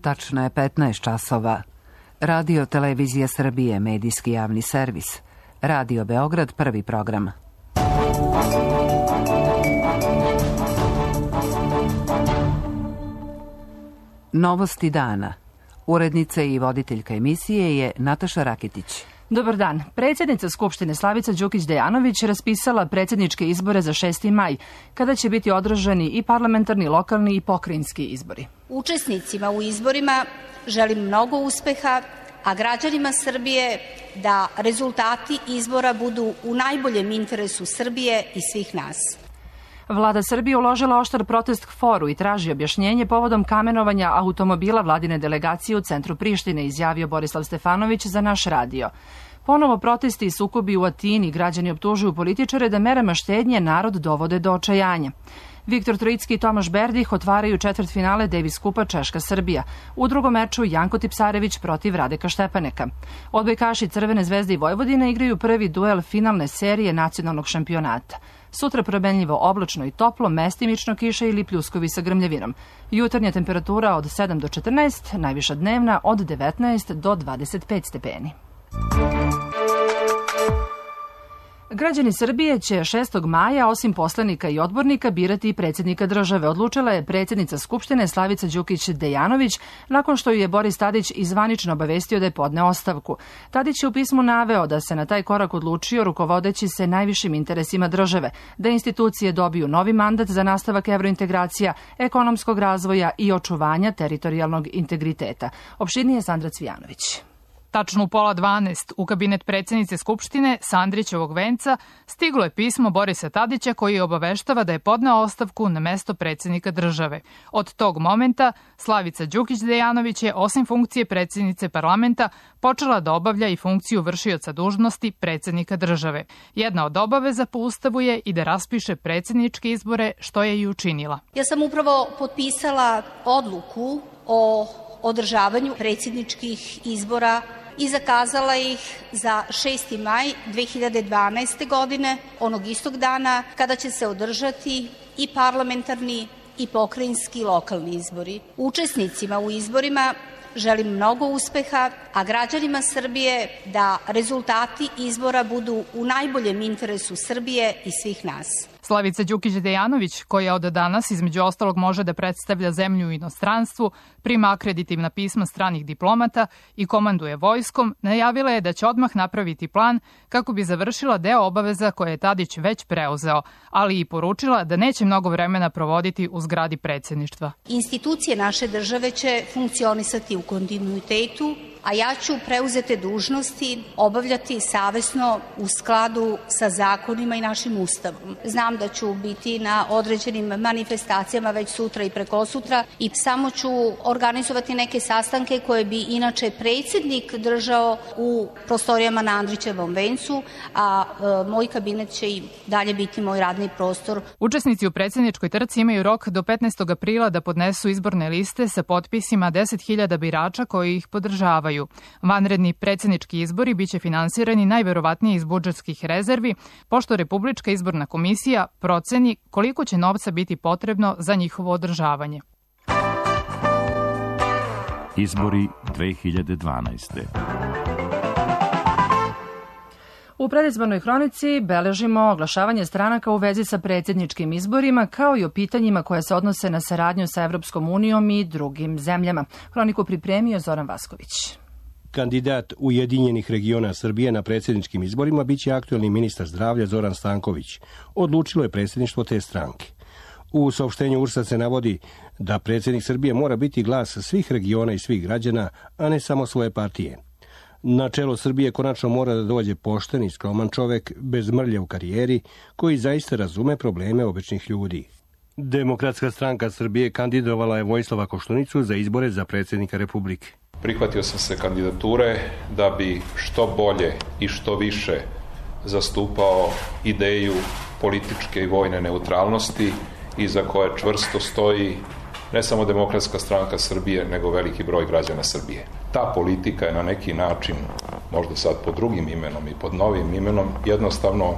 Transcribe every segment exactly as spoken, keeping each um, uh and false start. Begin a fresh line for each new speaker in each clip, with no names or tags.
Tačno je petnaest časova. Radio Televizija Srbije, medijski javni servis. Radio Beograd, prvi program. Novosti dana. Urednica i voditeljka emisije je Nataša Raketić.
Dobar dan. Predsjednica Skupštine Slavica Đukić-Dejanović raspisala predsjedničke izbore za šesti maj, kada će biti održani i parlamentarni, lokalni i pokrajinski izbori.
Učesnicima u izborima želim mnogo uspeha, a građanima Srbije da rezultati izbora budu u najboljem interesu Srbije i svih nas.
Vlada Srbije uložila oštar protest k foru i traži objašnjenje povodom kamenovanja automobila vladine delegacije u centru Prištine, izjavio Borislav Stefanović za naš radio. Ponovo protesti i sukobi u Atini, građani optužuju političare da merama štednje narod dovode do očajanja. Viktor Trojicki i Tomaš Berdih otvaraju četvrtfinale Davis kupa Češka-Srbija. U drugom meču Janko Tipsarević protiv Radeka Štepaneka. Odbojkaši Crvene zvezde i Vojvodine igraju prvi duel finalne serije nacionalnog šampionata. Sutra promenljivo oblačno i toplo, mestimično kiša ili pljuskovi sa grmljavinom. Jutarnja temperatura od sedam do četrnaest, najviša dnevna od devetnaest do dvadeset pet stepeni. Građani Srbije će šestog maja, osim poslanika i odbornika, birati i predsjednika države. Odlučila je predsjednica Skupštine Slavica Đukić-Dejanović nakon što ju je Boris Tadić izvanično obavestio da je podneo ostavku. Tadić je u pismu naveo da se na taj korak odlučio rukovodeći se najvišim interesima države, da institucije dobiju novi mandat za nastavak evrointegracija, ekonomskog razvoja i očuvanja teritorijalnog integriteta. Opširnije Sandra Cvijanović.
Tačno u pola dvanaest u kabinet predsjednice Skupštine sa Andrićevog venca stiglo je pismo Borisa Tadića koji je obaveštava da je podneo ostavku na mesto predsjednika države. Od tog momenta Slavica Đukić-Dejanović je osim funkcije predsjednice parlamenta počela da obavlja i funkciju vršioca dužnosti predsjednika države. Jedna od obaveza po Ustavu je i da raspiše predsjedničke izbore, što je i učinila.
Ja sam upravo potpisala odluku o održavanju predsjedničkih izbora i zakazala ih za šesti maj dve hiljade dvanaeste. godine, onog istog dana kada će se održati i parlamentarni i pokrajinski lokalni izbori. Učesnicima u izborima želim mnogo uspeha, a građanima Srbije da rezultati izbora budu u najboljem interesu Srbije i svih nas.
Slavica Đukić-Dejanović, koja od danas između ostalog može da predstavlja zemlju u inostranstvu, prima akreditivna pisma stranih diplomata i komanduje vojskom, najavila je da će odmah napraviti plan kako bi završila deo obaveza koje je Tadić već preuzeo, ali i poručila da neće mnogo vremena provoditi u zgradi predsjedništva.
Institucije naše države će funkcionisati u kontinuitetu, a ja ću preuzete dužnosti obavljati savesno u skladu sa zakonima i našim Ustavom. Znam da ću biti na određenim manifestacijama već sutra i prekosutra i samo ću organizovati neke sastanke koje bi inače predsjednik držao u prostorijama na Andrićevom vencu, a e, moj kabinet će i dalje biti moj radni prostor.
Učesnici u predsjedničkoj trci imaju rok do petnaestog aprila da podnesu izborne liste sa potpisima deset hiljada birača koji ih podržavaju. Vanredni predsjednički izbori biće finansirani najverovatnije iz budžetskih rezervi, pošto Republička izborna komisija proceni koliko će novca biti potrebno za njihovo održavanje.
Izbori dve hiljade dvanaeste.
U predizbornoj hronici beležimo oglašavanje stranaka u vezi sa predsjedničkim izborima, kao i o pitanjima koje se odnose na saradnju sa Evropskom unijom i drugim zemljama. Hroniku pripremio Zoran Vasković.
Kandidat Ujedinjenih regiona Srbije na predsjedničkim izborima biće aktuelni ministar zdravlja Zoran Stanković. Odlučilo je predsjedništvo te stranke. U saopštenju U R S-a se navodi da predsjednik Srbije mora biti glas svih regiona i svih građana, a ne samo svoje partije. Na čelo Srbije konačno mora da dođe pošten i skroman čovek, bez mrlje u karijeri, koji zaista razume probleme običnih ljudi. Demokratska stranka Srbije kandidovala je Vojislava Koštunicu za izbore za predsjednika Republike.
Prihvatio sam se kandidature da bi što bolje i što više zastupao ideju političke i vojne neutralnosti iza koje čvrsto stoji ne samo Demokratska stranka Srbije, nego veliki broj građana Srbije. Ta politika je na neki način, možda sad pod drugim imenom i pod novim imenom, jednostavno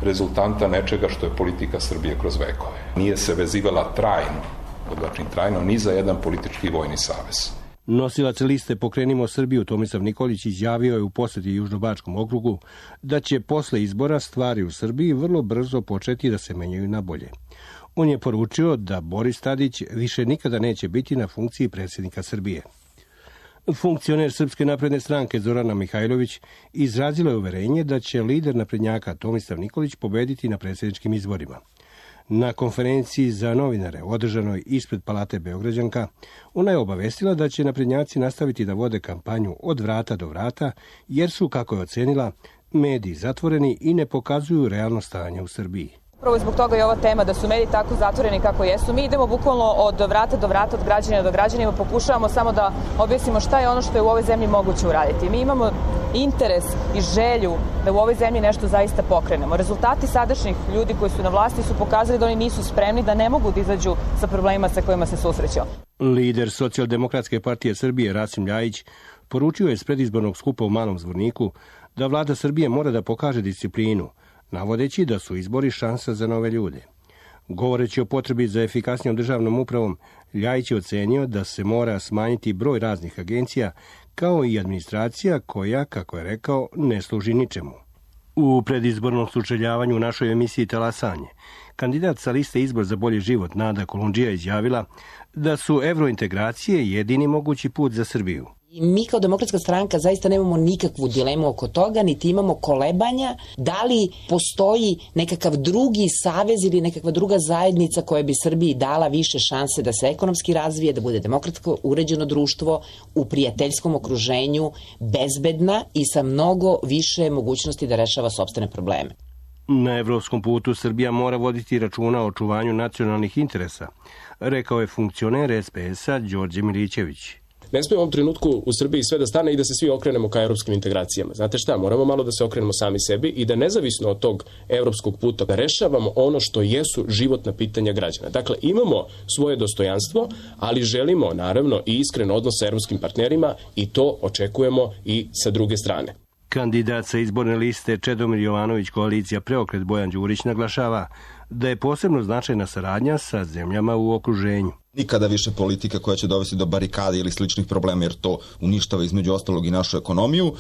rezultanta nečega što je politika Srbije kroz vekove. Nije se vezivala trajno podvlačim trajno, ni za jedan politički vojni savez.
Nosilac liste Pokrenimo Srbiju Tomislav Nikolić izjavio je u poseti Južnobačkom okrugu da će posle izbora stvari u Srbiji vrlo brzo početi da se menjaju na bolje. On je poručio da Boris Tadić više nikada neće biti na funkciji predsjednika Srbije. Funkcioner Srpske napredne stranke Zorana Mihajlović izrazila je uverenje da će lider naprednjaka Tomislav Nikolić pobediti na predsjedničkim izborima. Na konferenciji za novinare održanoj ispred Palate Beograđanka, ona je obavestila da će naprednjaci nastaviti da vode kampanju od vrata do vrata, jer su, kako je ocenila, mediji zatvoreni i ne pokazuju realno stanje u Srbiji.
Upravo zbog toga je ova tema da su mediji tako zatvoreni kako jesu. Mi idemo bukvalno od vrata do vrata, od građanina do građanima, pokušavamo samo da objasnimo šta je ono što je u ovoj zemlji moguće uraditi. Mi imamo interes i želju da u ovoj zemlji nešto zaista pokrenemo. Rezultati sadašnjih ljudi koji su na vlasti su pokazali da oni nisu spremni, da ne mogu da izađu sa problemima sa kojima se susreću.
Lider Socijaldemokratske partije Srbije Rasim Ljajić poručio je s predizbornog skupa u Malom Zvorniku da vlada Srbije mora da pokaže disciplinu, navodeći da su izbori šansa za nove ljude. Govoreći o potrebi za efikasnijom državnom upravom, Ljajić je ocenio da se mora smanjiti broj raznih agencija, kao i administracija koja, kako je rekao, ne služi ničemu. U predizbornom sučeljavanju u našoj emisiji Talasanje, kandidat sa liste Izbor za bolji život Nada Kolundžija izjavila da su evrointegracije jedini mogući put za Srbiju.
Mi kao Demokratska stranka zaista nemamo nikakvu dilemu oko toga, niti imamo kolebanja da li postoji nekakav drugi savez ili nekakva druga zajednica koja bi Srbiji dala više šanse da se ekonomski razvije, da bude demokratsko uređeno društvo u prijateljskom okruženju, bezbedna i sa mnogo više mogućnosti da rešava sopstvene probleme.
Na evropskom putu Srbija mora voditi računa o očuvanju nacionalnih interesa, rekao je funkcioner es pe es-a Đorđe Milićević.
Ne smije u ovom trenutku u Srbiji sve da stane i da se svi okrenemo ka evropskim integracijama. Znate šta, moramo malo da se okrenemo sami sebi i da nezavisno od tog evropskog puta da rešavamo ono što jesu životna pitanja građana. Dakle, imamo svoje dostojanstvo, ali želimo naravno i iskren odnos sa evropskim partnerima i to očekujemo i sa druge strane.
Kandidat sa izborne liste Čedomir Jovanović koalicija Preokret Bojan Đurić naglašava da je posebno značajna saradnja sa zemljama u okruženju.
Nikada više politika koja će dovesti do barikade ili sličnih problema, jer to uništava između ostalog i našu ekonomiju.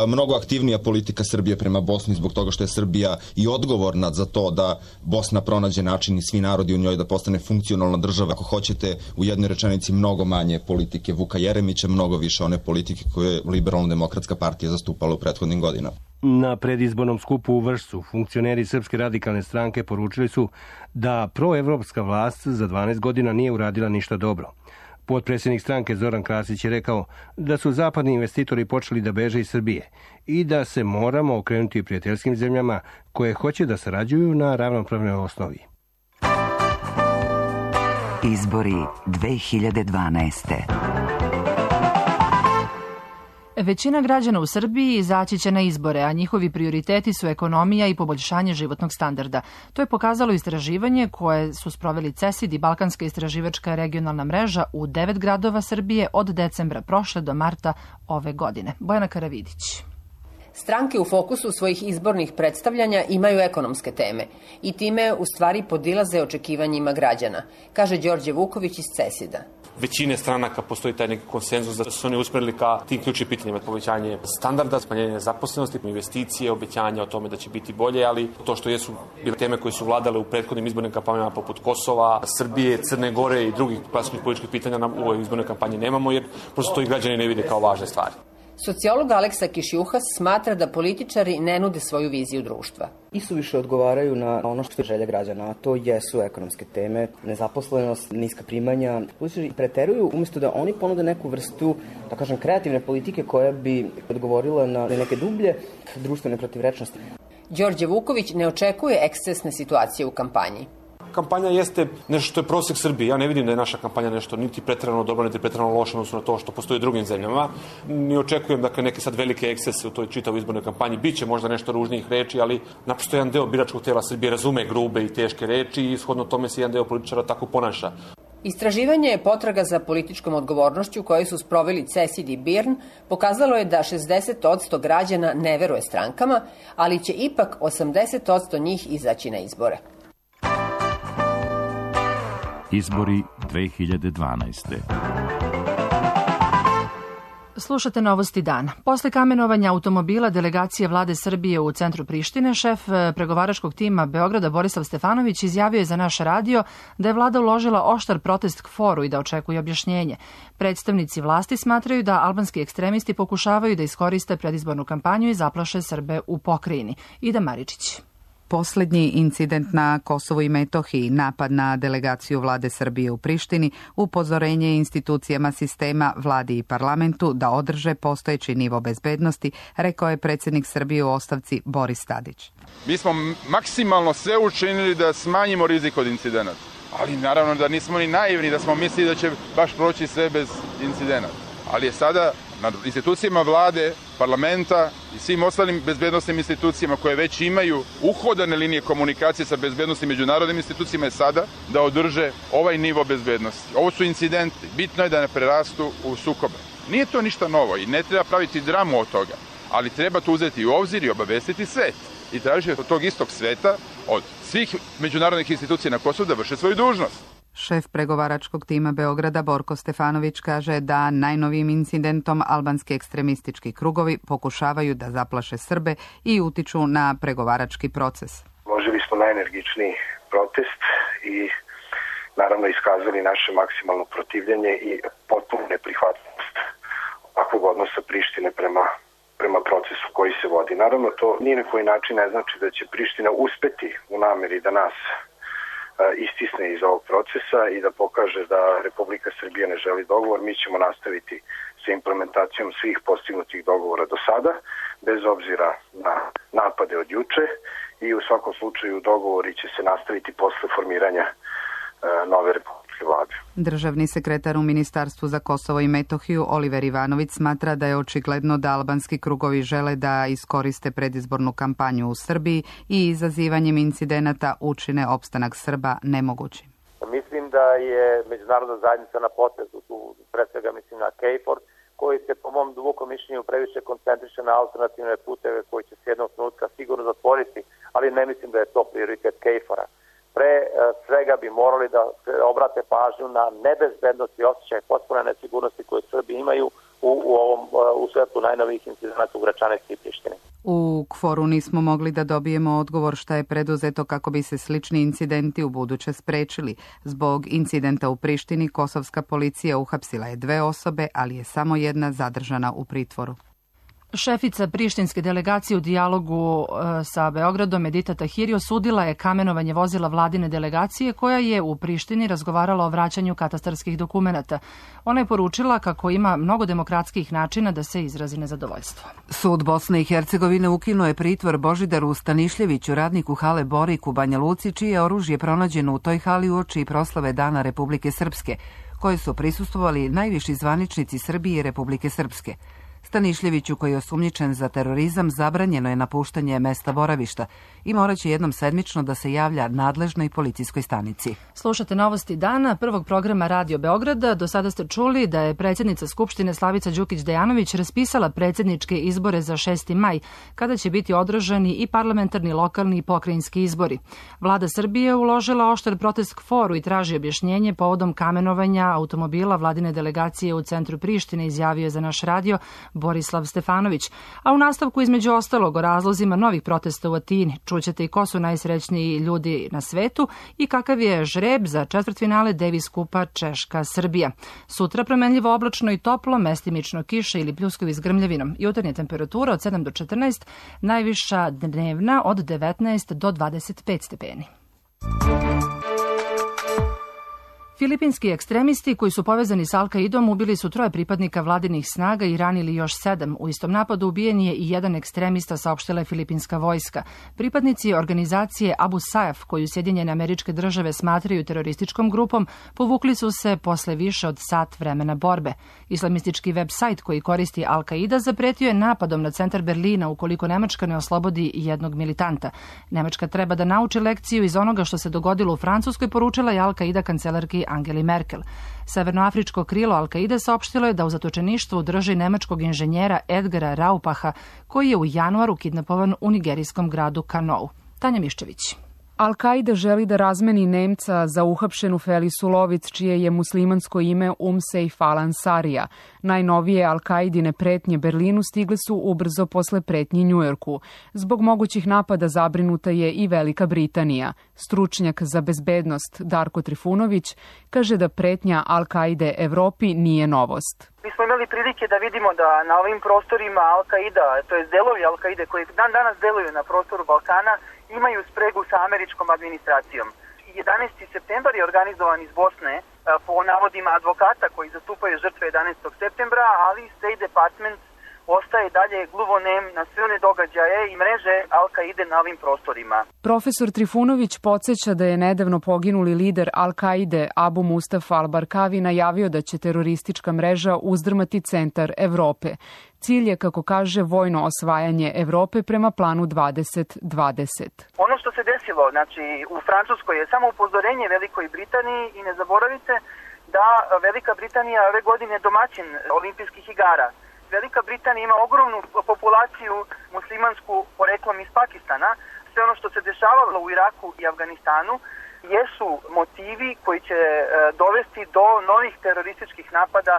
Mnogo aktivnija politika Srbije prema Bosni zbog toga što je Srbija i odgovorna za to da Bosna pronađe način i svi narodi u njoj da postane funkcionalna država. Ako hoćete, u jednoj rečenici mnogo manje politike Vuka Jeremića, mnogo više one politike koje je Liberalno-demokratska partija zastupala u prethodnim godinama.
Na predizbornom skupu u Vršcu funkcioneri Srpske radikalne stranke poručili su da proevropska vlast za dvanaest godina nije uradila ništa dobro. Potpredsjednik stranke Zoran Krasić je rekao da su zapadni investitori počeli da beže iz Srbije i da se moramo okrenuti prijateljskim zemljama koje hoće da sarađuju na ravnopravnoj osnovi.
Izbori dve hiljade dvanaeste.
Većina građana u Srbiji izaći će na izbore, a njihovi prioriteti su ekonomija i poboljšanje životnog standarda. To je pokazalo istraživanje koje su sproveli CESID i Balkanska istraživačka regionalna mreža u devet gradova Srbije od decembra prošle do marta ove godine. Bojana Karavidić.
Stranke u fokusu svojih izbornih predstavljanja imaju ekonomske teme i time u stvari podilaze očekivanjima građana, kaže Đorđe Vuković iz CESID-a.
Većine stranaka postoji taj neki konsenzus da su oni usmerili ka tim ključnim pitanjima, povećanje standarda, smanjenje nezaposlenosti, investicije, obećanja o tome da će biti bolje, ali to što jesu bile teme koje su vladale u prethodnim izbornim kampanjama poput Kosova, Srbije, Crne Gore i drugih klasičnih političkih pitanja u ovoj izbornoj kampanji nemamo, jer prosto to i građani ne vide kao važne stvari.
Sociolog Aleksa Kišjuhas smatra da političari ne nude svoju viziju društva.
Isuviše odgovaraju na ono što je želja građana, a to jesu ekonomske teme, nezaposlenost, niska primanja. Političari preteruju umjesto da oni ponude neku vrstu, da kažem, kreativne politike koja bi odgovorila na neke dublje društvene protivrečnosti.
Đorđe Vuković ne očekuje ekscesne situacije u kampanji.
Kampanja jeste nešto što je prosjek Srbije. Ja ne vidim da je naša kampanja nešto niti preterano dobro, niti preterano loše odnosno na to što postoji u drugim zemljama. Ni očekujem dakle, neke sad velike ekscese u toj čitavoj izbornoj kampanji. Biće možda nešto ružnijih reči, ali naprosto jedan deo biračkog tela Srbije razume grube i teške reči i shodno tome se jedan deo političara tako ponaša.
Istraživanje je potraga za političkom odgovornošću koje su sproveli CESID i BIRN pokazalo je da šezdeset posto građana ne veruje strankama, ali će ipak osamdeset posto njih izaći na izbore.
Izbori dve hiljade dvanaeste.
Slušate Novosti dana. Posle kamenovanja automobila delegacije vlade Srbije u centru Prištine, šef pregovaračkog tima Beograda Borislav Stefanović izjavio je za naš radio da je vlada uložila oštar protest KFOR-u i da očekuje objašnjenje. Predstavnici vlasti smatraju da albanski ekstremisti pokušavaju da iskoriste predizbornu kampanju i zaplaše Srbe u pokrajini. Ida Maričić.
Poslednji incident na Kosovu i Metohiji, napad na delegaciju vlade Srbije u Prištini, upozorenje institucijama sistema, vladi i parlamentu da održe postojeći nivo bezbednosti, rekao je predsjednik Srbije u ostavci Boris Tadić.
Mi smo maksimalno sve učinili da smanjimo rizik od incidenata, ali naravno da nismo ni naivni da smo mislili da će baš proći sve bez incidenata. Ali je sada na institucijama vlade, parlamenta i svim ostalim bezbednostnim institucijama koje već imaju uhodane linije komunikacije sa bezbednostnim međunarodnim institucijama je sada da održe ovaj nivo bezbednosti. Ovo su incidenti. Bitno je da ne prerastu u sukobe. Nije to ništa novo i ne treba praviti dramu od toga, ali treba to uzeti u obzir i obavestiti svet. I tražiti od tog istog sveta, od svih međunarodnih institucija na Kosovu da vrše svoju dužnost.
Šef pregovaračkog tima Beograda Borko Stefanović kaže da najnovijim incidentom albanski ekstremistički krugovi pokušavaju da zaplaše Srbe i utiču na pregovarački proces.
Uložili smo najenergičniji protest i naravno iskazali naše maksimalno protivljenje i potpuno neprihvatljivost ovakvog odnosa Prištine prema, prema procesu koji se vodi. Naravno to ni na koji način ne znači da će Priština uspeti u nameri da nas istisne iz ovog procesa i da pokaže da Republika Srbija ne želi dogovor. Mi ćemo nastaviti sa implementacijom svih postignutih dogovora do sada, bez obzira na napade od juče i u svakom slučaju dogovori će se nastaviti posle formiranja e, nove republike vlade.
Državni sekretar u Ministarstvu za Kosovo i Metohiju Oliver Ivanović smatra da je očigledno da albanski krugovi žele da iskoriste predizbornu kampanju u Srbiji i izazivanjem incidenata učine opstanak Srba nemogućim.
Mislim da je međunarodna zajednica na potezu, tu pre svega mislim na KFOR, koji se po mom dubokom mišljenju previše koncentriše na alternativne puteve koji će se jednog trenutka sigurno zatvoriti, ali ne mislim da je to prioritet KFOR-a. Pre svega bi morali da se obrate pažnju na nebezbednost i osjećaj potpune nesigurnosti koje Srbi imaju u, u ovom u svetu najnovijih incidenata u Gračanici i Prištini.
U KFOR-u nismo mogli da dobijemo odgovor šta je preduzeto kako bi se slični incidenti u buduće sprečili. Zbog incidenta u Prištini kosovska policija uhapsila je dve osobe, ali je samo jedna zadržana u pritvoru.
Šefica prištinske delegacije u dijalogu e, sa Beogradom Edita Tahiri osudila je kamenovanje vozila vladine delegacije koja je u Prištini razgovarala o vraćanju katastarskih dokumenata. Ona je poručila kako ima mnogo demokratskih načina da se izrazi nezadovoljstvo.
Sud Bosne i Hercegovine ukinuo je pritvor Božidaru Stanišljeviću, radniku hale Borik u Banja Luci, čije oružje pronađeno u toj hali uoči proslave Dana Republike Srpske, koje su prisustvovali najviši zvaničnici Srbije i Republike Srpske. Stanišljeviću, koji je osumnjičen za terorizam, zabranjeno je napuštanje mesta boravišta i moraće jednom sedmično da se javlja nadležnoj policijskoj stanici.
Slušate Novosti dana, prvog programa Radio Beograda. Do sada ste čuli da je predsjednica Skupštine Slavica Đukić-Dejanović raspisala predsjedničke izbore za šesti maj, kada će biti održani i parlamentarni, lokalni i pokrajinski izbori. Vlada Srbije uložila oštar protest KFOR-u i traži objašnjenje povodom kamenovanja automobila vladine delegacije u centru Prištine, izjavio je za naš radio Borislav Stefanović. A u nastavku između ostalog o razlozima novih protesta u Atini čućete i ko su najsrećniji ljudi na svetu i kakav je žreb za četvrtfinale Davis kupa Češka-Srbija. Sutra promenljivo oblačno i toplo, mestimično kiša ili pljuskovi s grmljavinom. Jutarnja temperatura od sedam do četrnaest, najviša dnevna od devetnaest do dvadeset pet stepeni. Filipinski ekstremisti koji su povezani s Al-Kaidom ubili su troje pripadnika vladinih snaga i ranili još sedam. U istom napadu ubijen je i jedan ekstremista, saopštila je filipinska vojska. Pripadnici organizacije Abu Sayyaf, koju Sjedinjene Američke Države smatraju terorističkom grupom, povukli su se posle više od sat vremena borbe. Islamistički web sajt koji koristi Al-Kaida zapretio je napadom na centar Berlina ukoliko Nemačka ne oslobodi jednog militanta. Nemačka treba da nauči lekciju iz onoga što se dogodilo u Francuskoj, poručila je Al-Kaida kancelarki Angeli Merkel. Severnoafričko krilo Al-Kaide saopštilo je da u zatočeništvu drži nemačkog inženjera Edgara Raupaha, koji je u januaru kidnapovan u nigerijskom gradu Kanou. Tanja Miščević.
Al-Kaida želi da razmeni Nemca za uhapšenu Felisu Lovic, čije je muslimansko ime Umsejf al-Ansarija. Najnovije Al-Kaidine pretnje Berlinu stigle su ubrzo posle pretnji Njujorku. Zbog mogućih napada zabrinuta je i Velika Britanija. Stručnjak za bezbednost Darko Trifunović kaže da pretnja Al-Kaide Evropi nije novost.
Mi smo imali prilike da vidimo da na ovim prostorima Al-Kaida, to je delovi Al-Kaide koji dan danas deluju na prostoru Balkana, imaju spregu sa američkom administracijom. jedanaesti septembar je organizovan iz Bosne po navodima advokata koji zastupaju žrtve jedanaestog septembra, ali State Department ostaje dalje gluvonem na sve one događaje i mreže Al-Kaide na ovim prostorima.
Profesor Trifunović podsjeća da je nedavno poginuli lider Al-Kaide Abu Mustafa al-Barkavi najavio da će teroristička mreža uzdrmati centar Evrope. Cilj je, kako kaže, vojno osvajanje Evrope prema planu dvadeset dvadeset.
Ono što se desilo, znači u Francuskoj je samo upozorenje Velikoj Britaniji i ne zaboravite da Velika Britanija ove godine je domaćin olimpijskih igara. Velika Britanija ima ogromnu populaciju muslimansku poreklom iz Pakistana. Sve ono što se dešavalo u Iraku i Afganistanu jesu motivi koji će dovesti do novih terorističkih napada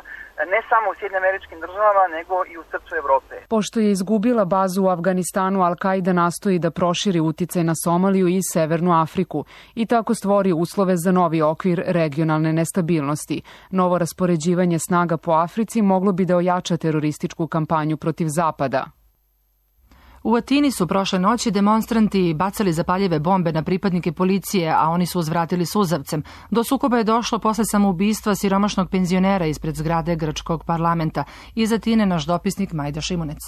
ne samo u Sjedinjenim Američkim Državama, nego i u srcu Evrope.
Pošto je izgubila bazu u Afganistanu, Al-Kaida nastoji da proširi uticaj na Somaliju i Severnu Afriku i tako stvori uslove za novi okvir regionalne nestabilnosti. Novo raspoređivanje snaga po Africi moglo bi da ojača terorističku kampanju protiv Zapada.
U Atini su prošle noći demonstranti bacali zapaljive bombe na pripadnike policije, a oni su uzvratili suzavcem. Do sukoba je došlo posle samoubistva siromašnog penzionera ispred zgrade grčkog parlamenta. Iz Atine naš dopisnik Majda Šimunec.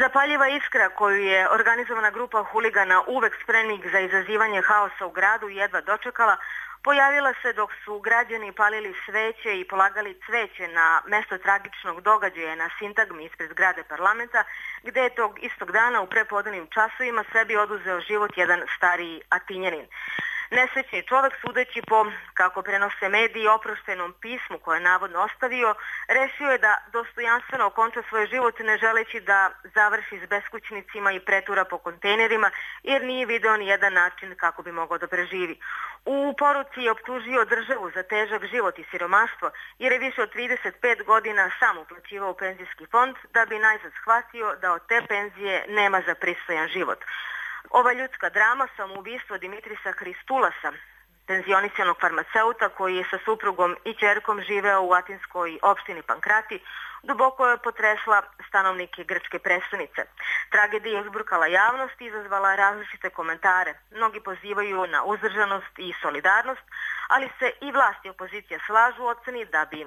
Zapaljiva iskra koju je organizovana grupa huligana uvek spremnih za izazivanje haosa u gradu jedva dočekala, pojavila se dok su građani palili sveće i polagali cveće na mesto tragičnog događaja na sintagmi ispred zgrade parlamenta, gde je tog istog dana u prepodnevnim časovima sebi oduzeo život jedan stariji Atinjanin. Nesrećni čovek, sudeći po, kako prenose mediji, oproštenom pismu koje je navodno ostavio, rešio je da dostojanstveno okonča svoj život ne želeći da završi s beskućnicima i pretura po kontejnerima, jer nije video ni jedan način kako bi mogao da preživi. U poruci je optužio državu za težak život i siromaštvo, jer je više od trideset pet godina sam uplaćivao u penzijski fond da bi najzad shvatio da od te penzije nema za pristojan život. Ova ljudska drama, samoubistvo Dimitrisa Hristulasa, penzionisanog farmaceuta koji je sa suprugom i ćerkom živeo u atinskoj opštini Pankrati, duboko je potresla stanovnike grčke prestonice. Tragedija je uzburkala javnost i izazvala različite komentare. Mnogi pozivaju na uzdržanost i solidarnost, ali se i vlast i opozicija slažu u oceni da bi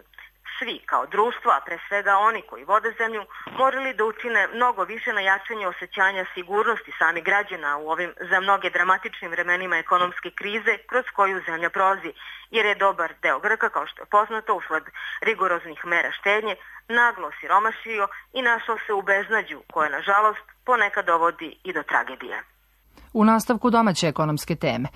svi kao društvo, a pre svega oni koji vode zemlju, morali da učine mnogo više na jačanju osjećanja sigurnosti samih građana u ovim za mnoge dramatičnim vremenima ekonomske krize kroz koju zemlja prolazi, jer je dobar deo Grka, kao što je poznato, usled rigoroznih mera štednje, naglo siromašio i našao se u beznađu koje, nažalost, ponekad dovodi i do tragedije.
U nastavku domaće ekonomske teme.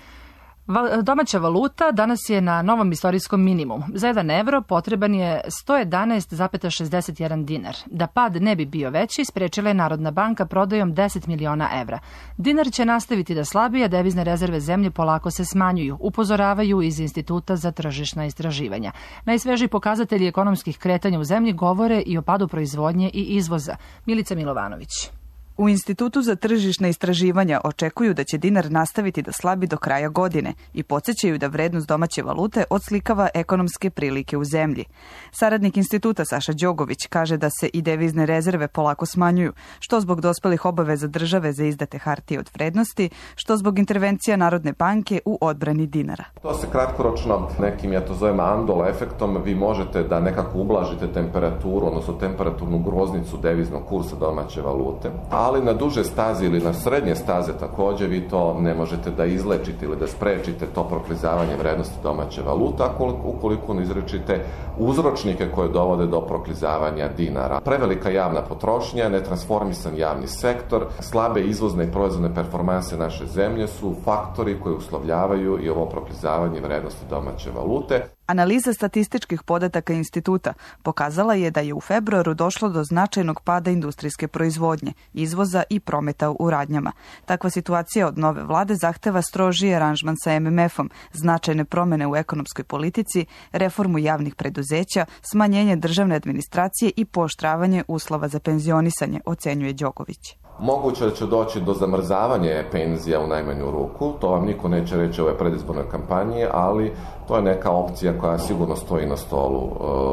Domaća valuta danas je na novom istorijskom minimumu. Za jedan evro potreban je sto jedanaest zarez šezdeset jedan dinar. Da pad ne bi bio veći, sprečila je Narodna banka prodajom deset miliona evra. Dinar će nastaviti da slabi, a devizne rezerve zemlje polako se smanjuju, upozoravaju iz Instituta za tržišna istraživanja. Najsvežiji pokazatelji ekonomskih kretanja u zemlji govore i o padu proizvodnje i izvoza. Milica Milovanović.
U Institutu za tržišna istraživanja očekuju da će dinar nastaviti da slabi do kraja godine i podsjećaju da vrednost domaće valute odslikava ekonomske prilike u zemlji. Saradnik instituta Saša Đogović kaže da se i devizne rezerve polako smanjuju, što zbog dospelih obaveza države za izdate hartije od vrednosti, što zbog intervencija Narodne banke u odbrani dinara.
To se kratkoročno, nekim ja to zovem andol efektom, vi možete da nekako ublažite temperaturu, odnosno temperaturnu groznicu deviznog kursa domaće valute. Ali na duže staze ili na srednje staze također vi to ne možete da izlečite ili da sprečite to proklizavanje vrednosti domaće valute, ukoliko ne izrečite uzročnike koje dovode do proklizavanja dinara. Prevelika javna potrošnja, netransformisan javni sektor, slabe izvozne i proizvodne performanse naše zemlje su faktori koji uslovljavaju i ovo proklizavanje vrednosti domaće valute.
Analiza statističkih podataka instituta pokazala je da je u februaru došlo do značajnog pada industrijske proizvodnje, izvoza i prometa u radnjama. Takva situacija od nove vlade zahteva strožiji aranžman sa em em efom, značajne promene u ekonomskoj politici, reformu javnih preduzeća, smanjenje državne administracije i pooštravanje uslova za penzionisanje, ocenjuje Đoković.
Moguće da će doći do zamrzavanja penzija u najmanju ruku, to vam niko neće reći u ovoj predizbornoj kampanji, ali to je neka opcija koja sigurno stoji na stolu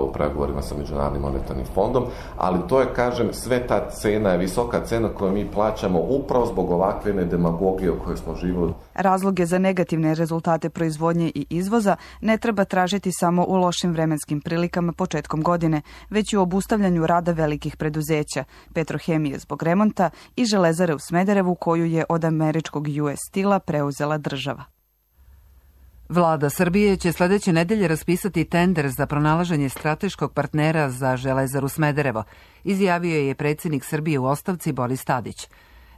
u pregovorima sa Međunarodnim monetarnim fondom, ali to je, kažem, sve ta cena je visoka cena koju mi plaćamo upravo zbog ovakve demagogije u kojoj smo živjeli.
Razloge za negativne rezultate proizvodnje i izvoza ne treba tražiti samo u lošim vremenskim prilikama početkom godine, već i u obustavljanju rada velikih preduzeća, Petrohemije zbog remonta i Železare u Smederevu koju je od američkog U S Steel-a preuzela država.
Vlada Srbije će sledeće nedelje raspisati tender za pronalaženje strateškog partnera za Železaru Smederevo, izjavio je predsjednik Srbije u ostavci Boris Tadić.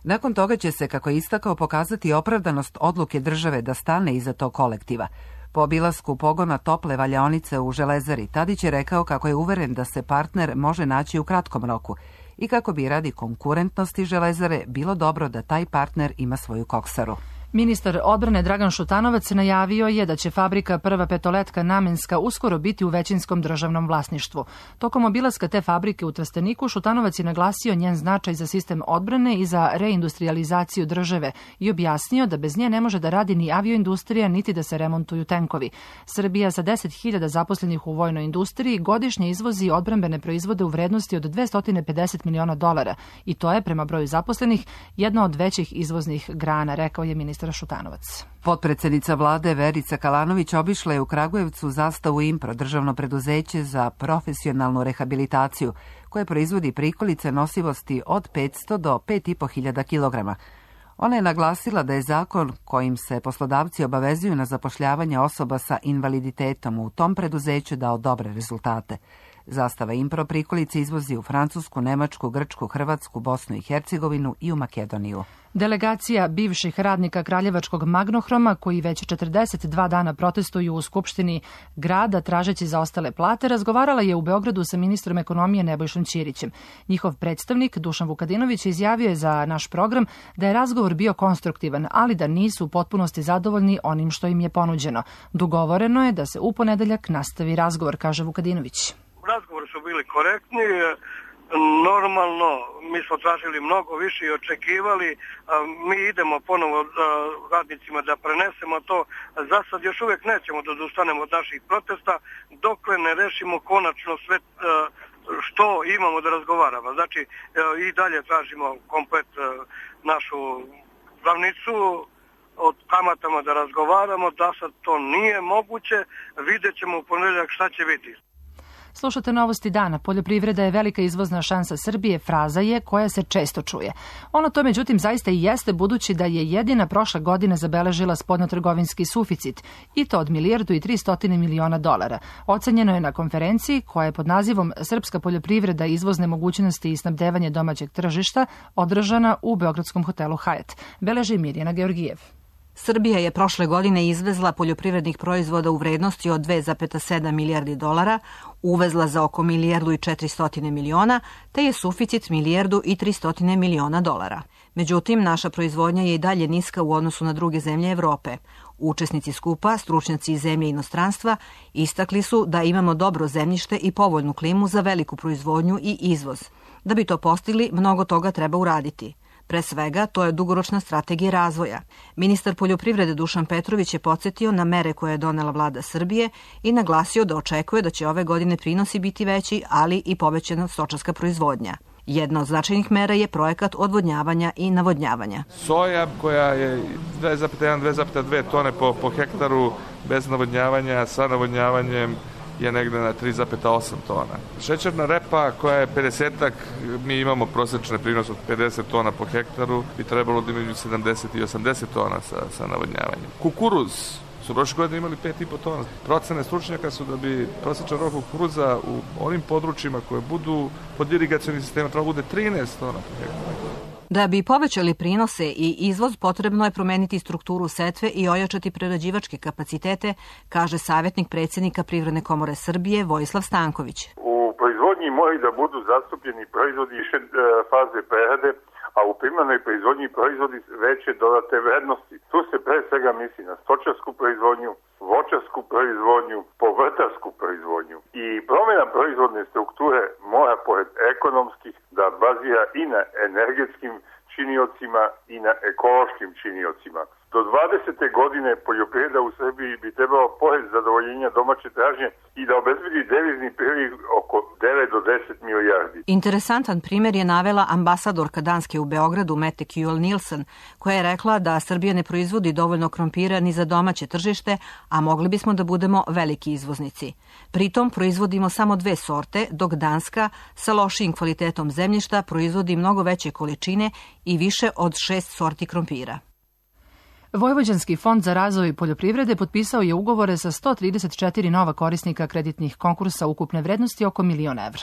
Nakon toga će se, kako je istakao, pokazati opravdanost odluke države da stane iza tog kolektiva. Po obilasku pogona tople valjaonice u Železari, Tadić je rekao kako je uveren da se partner može naći u kratkom roku i kako bi radi konkurentnosti Železare bilo dobro da taj partner ima svoju koksaru.
Ministar odbrane Dragan Šutanovac najavio je da će fabrika Prva petoletka namenska uskoro biti u većinskom državnom vlasništvu. Tokom obilaska te fabrike u Trsteniku Šutanovac je naglasio njen značaj za sistem odbrane i za reindustrializaciju države i objasnio da bez nje ne može da radi ni avioindustrija niti da se remontuju tenkovi. Srbija sa deset hiljada zaposlenih u vojnoj industriji godišnje izvozi odbrambene proizvode u vrednosti od dvesta pedeset miliona dolara i to je, prema broju zaposlenih, jedna od većih izvoznih grana, rekao je ministar Šutanovac.
Potpredsednica vlade Verica Kalanović obišla je u Kragujevcu Zastavu Impro, državno preduzeće za profesionalnu rehabilitaciju, koje proizvodi prikolice nosivosti od petsto do pet i po hiljada kilograma. Ona je naglasila da je zakon kojim se poslodavci obavezuju na zapošljavanje osoba sa invaliditetom u tom preduzeću dao dobre rezultate. Zastava Impro prikolice izvozi u Francusku, Nemačku, Grčku, Hrvatsku, Bosnu i Hercegovinu i u Makedoniju.
Delegacija bivših radnika Kraljevačkog Magnohroma, koji već četrdeset dva dana protestuju u Skupštini grada tražeći zaostale plate, razgovarala je u Beogradu sa ministrom ekonomije Nebojšom Ćirićem. Njihov predstavnik Dušan Vukadinović izjavio je za naš program da je razgovor bio konstruktivan, ali da nisu u potpunosti zadovoljni onim što im je ponuđeno. Dogovoreno je da se u ponedeljak nastavi razgovor, kaže Vukadinović.
Razgovori su bili korektni, normalno, mi smo tražili mnogo više i očekivali, mi idemo ponovo radnicima da prenesemo to. Za sad još uvijek nećemo da odustanemo od naših protesta dokle ne rešimo konačno sve što imamo da razgovaramo. Znači i dalje tražimo komplet našu glavnicu, od kamatama da razgovaramo, da sad to nije moguće, vidjet ćemo u ponedeljak šta će biti.
Slušate Novosti dana. Poljoprivreda je velika izvozna šansa Srbije, fraza je koja se često čuje. Ono to međutim zaista i jeste, budući da je jedina prošle godine zabeležila spoljnotrgovinski suficit i to od milijardu i tristo miliona dolara. Ocenjeno je na konferenciji koja je pod nazivom Srpska poljoprivreda, izvozne mogućnosti i snabdevanje domaćeg tržišta održana u beogradskom hotelu Hyatt. Beleži Mirjana Georgijev.
Srbija je prošle godine izvezla poljoprivrednih proizvoda u vrednosti od dve zarez sedam milijardi dolara, uvezla za oko milijardu i četiristo miliona, te je suficit milijardu i tristo miliona dolara. Međutim, naša proizvodnja je i dalje niska u odnosu na druge zemlje Evrope. Učesnici skupa, stručnjaci iz zemlje i inostranstva, istakli su da imamo dobro zemljište i povoljnu klimu za veliku proizvodnju i izvoz. Da bi to postigli, mnogo toga treba uraditi. Pre svega, to je dugoročna strategija razvoja. Ministar poljoprivrede Dušan Petrović je podsjetio na mere koje je donela vlada Srbije i naglasio da očekuje da će ove godine prinosi biti veći, ali i povećana stočarska proizvodnja. Jedna od značajnih mera je projekat odvodnjavanja i navodnjavanja.
Soja koja je dve zarez jedan do dve zarez dve tone po, po hektaru bez navodnjavanja, sa navodnjavanjem je negde na tri zarez osam tona. Šećerna repa koja je pedesetak, mi imamo prosječne prinos od pedeset tona po hektaru, bi trebalo da imaju sedamdeset i osamdeset tona sa, sa navodnjavanjem. Kukuruz su prošle godine imali pet i po tona. Procene stručnjaka su da bi prosječan rok kukuruza u onim područjima koje budu pod irigacionim sistemom trebalo bude trinaest tona po hektaru.
Da bi povećali prinose i izvoz, potrebno je promeniti strukturu setve i ojačati prerađivačke kapacitete, kaže savjetnik predsjednika Privredne komore Srbije Vojislav Stanković.
U proizvodnji moraju da budu zastupljeni proizvodi više faze prerade, a u primarnoj proizvodnji proizvodi veće dodate vrednosti. Tu se pre svega misli na stočarsku proizvodnju, voćarsku proizvodnju, povrtarsku proizvodnju. I promjena proizvodne strukture mora pored ekonomskih da bazira i na energetskim činiocima i na ekološkim činiocima. Do dvadesete godine poljoprivreda u Srbiji bi trebalo pored zadovoljenja domaće tražnje i da obezbedi devizni priliv oko devet do deset milijardi.
Interesantan primjer je navela ambasadorka Danske u Beogradu Mette Kjul Nilsen, koja je rekla da Srbija ne proizvodi dovoljno krompira ni za domaće tržište, a mogli bismo da budemo veliki izvoznici. Pritom proizvodimo samo dve sorte, dok Danska sa lošijim kvalitetom zemljišta proizvodi mnogo veće količine i više od šest sorti krompira.
Vojvođanski fond za razvoj poljoprivrede potpisao je ugovore sa sto trideset četiri nova korisnika kreditnih konkursa ukupne vrednosti oko milion evra.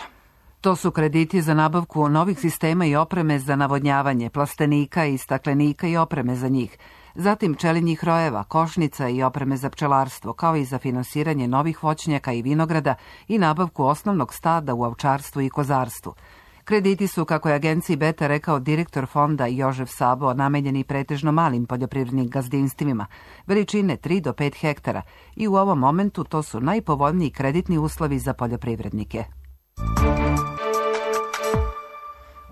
To su krediti za nabavku novih sistema i opreme za navodnjavanje, plastenika i staklenika i opreme za njih, zatim pčelinjih rojeva, košnica i opreme za pčelarstvo, kao i za finansiranje novih voćnjaka i vinograda i nabavku osnovnog stada u ovčarstvu i kozarstvu. Krediti su, kako je agenciji Beta rekao direktor fonda Jožef Sabo, namenjeni pretežno malim poljoprivrednim gazdinstvima, veličine tri do pet hektara i u ovom momentu to su najpovoljniji kreditni uslovi za poljoprivrednike.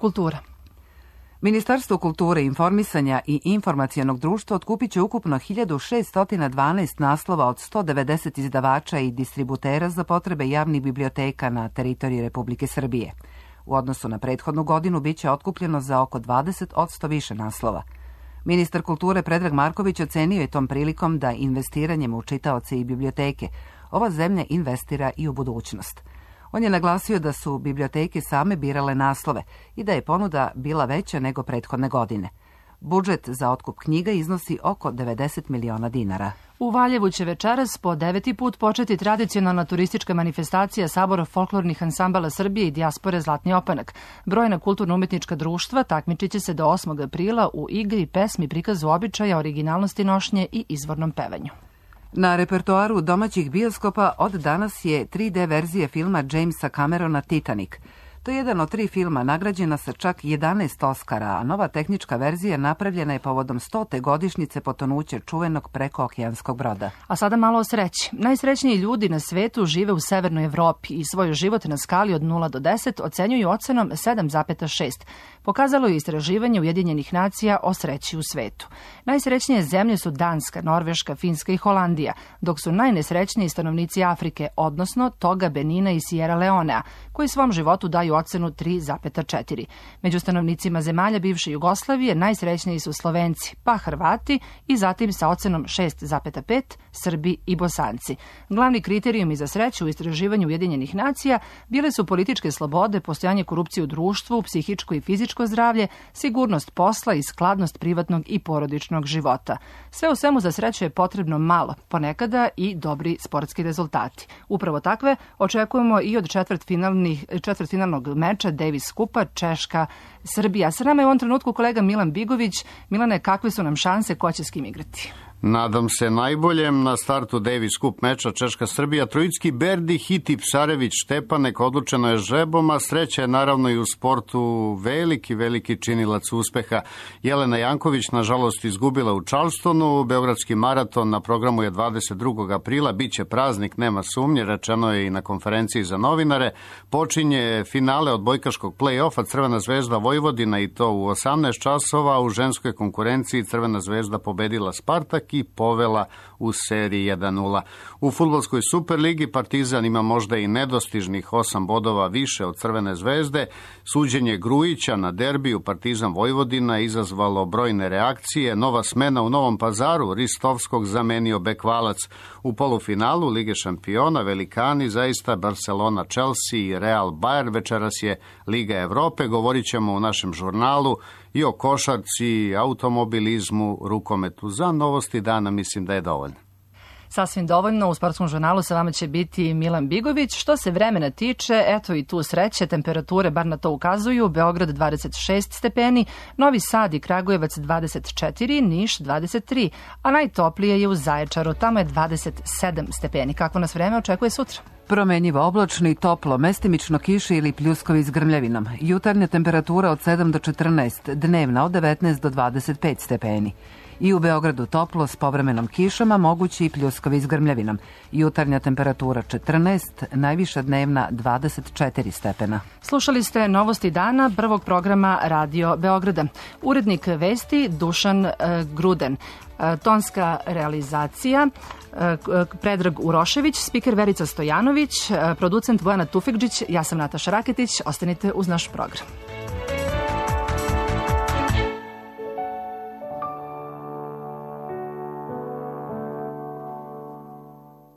Kultura.
Ministarstvo kulture, informisanja i informacionog društva otkupit će ukupno hiljadu šeststo dvanaest naslova od sto devedeset izdavača i distributera za potrebe javnih biblioteka na teritoriji Republike Srbije. U odnosu na prethodnu godinu biće otkupljeno za oko dvadeset posto više naslova. Ministar kulture Predrag Marković ocenio je tom prilikom da investiranjem u čitaoce i biblioteke ova zemlja investira i u budućnost. On je naglasio da su biblioteke same birale naslove i da je ponuda bila veća nego prethodne godine. Budžet za otkup knjiga iznosi oko devedeset miliona dinara.
U Valjevu će večeras po deveti put početi tradicionalna turistička manifestacija Sabora folklornih ansambala Srbije i dijaspore Zlatni opanak. Brojna kulturno-umetnička društva takmičit će se do osmog aprila u igri, pesmi, prikazu običaja, originalnosti nošnje i izvornom pevanju.
Na repertoaru domaćih bioskopa od danas je tri de verzija filma Jamesa Camerona Titanic. To je jedan od tri filma nagrađena sa čak jedanaest Oskara, a nova tehnička verzija napravljena je povodom stote godišnjice potonuća čuvenog prekookeanskog broda.
A sada malo o sreći. Najsrećniji ljudi na svetu žive u Severnoj Evropi i svoj život na skali od nula do deset ocenjuju ocenom sedam zarez šest. Pokazalo je istraživanje Ujedinjenih nacija o sreći u svetu. Najsrećnije zemlje su Danska, Norveška, Finska i Holandija, dok su najnesrećniji stanovnici Afrike, odnosno Toga, Benina i Sierra Leonea, koji svom životu daju ocenu tri zarez četiri. Među stanovnicima zemalja bivše Jugoslavije najsrećniji su Slovenci, pa Hrvati i zatim sa ocenom šest zarez pet Srbi i Bosanci. Glavni kriterijumi za sreću u istraživanju Ujedinjenih nacija bile su političke slobode, postojanje korupcije u društvu, psihičko i fizičko zdravlje, sigurnost posla i skladnost privatnog i porodičnog života. Sve u svemu za sreću je potrebno malo, ponekada i dobri sportski rezultati. Upravo takve očekujemo i od četvrtfinalnih, četvrtfinalnog meča Davis Kupa Češka Srbija. Sa nama je u ovom trenutku kolega Milan Bigović. Milane, kakve su nam šanse, ko će s kim igrati?
Nadam se najboljem. Na startu Davis Cup meča Češka-Srbija Trojicki, Berdi, Hiti, Psarević, Štepanek, odlučeno je žrebom, a sreća je naravno i u sportu veliki, veliki činilac uspeha. Jelena Janković nažalost izgubila u Charlestonu, Beogradski maraton na programu je dvadeset drugog aprila, bit će praznik, nema sumnje, rečeno je i na konferenciji za novinare. Počinje finale odbojkaškog play-offa Crvena zvezda Vojvodina i to u osamnaest časova, u ženskoj konkurenciji Crvena zvezda pobedila Spartak i povela u seriji jedan nula. U fudbalskoj Superligi Partizan ima možda i nedostižnih osam bodova više od Crvene zvezde. Suđenje Grujića na derbiju Partizan Vojvodina izazvalo brojne reakcije. Nova smena u Novom Pazaru, Ristovskog zamenio Bekvalac. U polufinalu Lige šampiona velikani zaista Barcelona, Chelsea i Real Bayern. Večeras je Liga Evrope. Govorit ćemo u našem žurnalu i o košarci, automobilizmu, rukometu. Za novosti dana mislim da je dovoljno.
Sasvim dovoljno, u sportskom žurnalu sa vama će biti Milan Bigović. Što se vremena tiče, eto i tu sreće, temperature bar na to ukazuju. Beograd dvadeset šest stepeni, Novi Sad i Kragujevac dvadeset četiri, Niš dvadeset tri, a najtoplije je u Zaječaru, tamo je dvadeset sedam stepeni. Kako nas vreme očekuje sutra?
Promenjivo oblačno i toplo, mestimično kiše ili pljuskovi s grmljavinom. Jutarnja temperatura od sedam do četrnaest, dnevna od devetnaest do dvadeset pet stepeni. I u Beogradu toplo s povremenom kišama, mogući i pljuskovi s grmljavinom. Jutarnja temperatura četrnaest, najviša dnevna dvadeset četiri stepena.
Slušali ste novosti dana prvog programa Radio Beograda. Urednik vesti Dušan e, Gruden. E, tonska realizacija e, Predrag Urošević, spiker Verica Stojanović, e, producent Bojana Tufekđić, ja sam Nataša Raketić. Ostanite uz naš program.